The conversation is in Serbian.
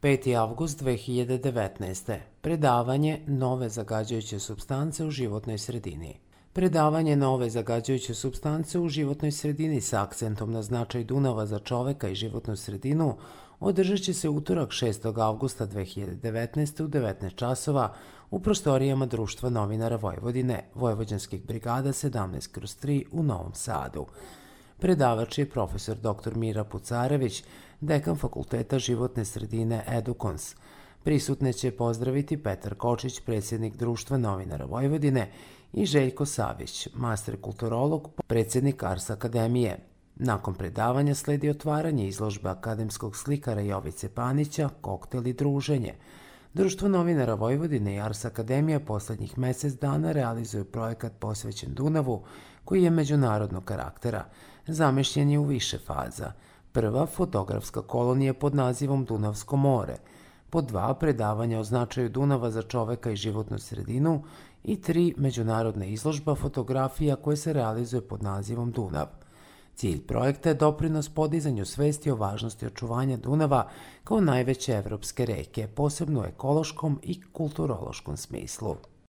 5. avgust 2019. Predavanje Nove zagađujuće supstance u životnoj sredini. Predavanje Nove zagađujuće supstance u životnoj sredini sa akcentom na značaj Dunava za čoveka i životnu sredinu održat će se utorak 6. avgusta 2019. u 19 časova u prostorijama Društva novinara Vojvodine, Vojvođanskih brigada 17/3 u Novom Sadu. Predavač je profesor dr. Mira Pucarević, dekan Fakulteta životne sredine Edukons. Prisutne će pozdraviti Petar Kočić, predsjednik Društva novinara Vojvodine, i Željko Savić, master kulturolog, predsjednik Ars Akademije. Nakon predavanja sledi otvaranje izložbe akademskog slikara Jovice Panića, koktel i druženje. Društvo novinara Vojvodine i Ars Akademija poslednjih mesec dana realizuju projekat posvećen Dunavu, koji je međunarodnog karaktera. Zamišljen je u više faza. Prva, fotografska kolonija pod nazivom Dunavsko more. Pod 2, predavanja o značaju Dunava za čoveka i životnu sredinu. I 3, međunarodna izložba fotografija koja se realizuje pod nazivom Dunav. Cilj projekta je doprinos podizanju svesti o važnosti očuvanja Dunava kao najveće evropske reke, posebno u ekološkom i kulturološkom smislu.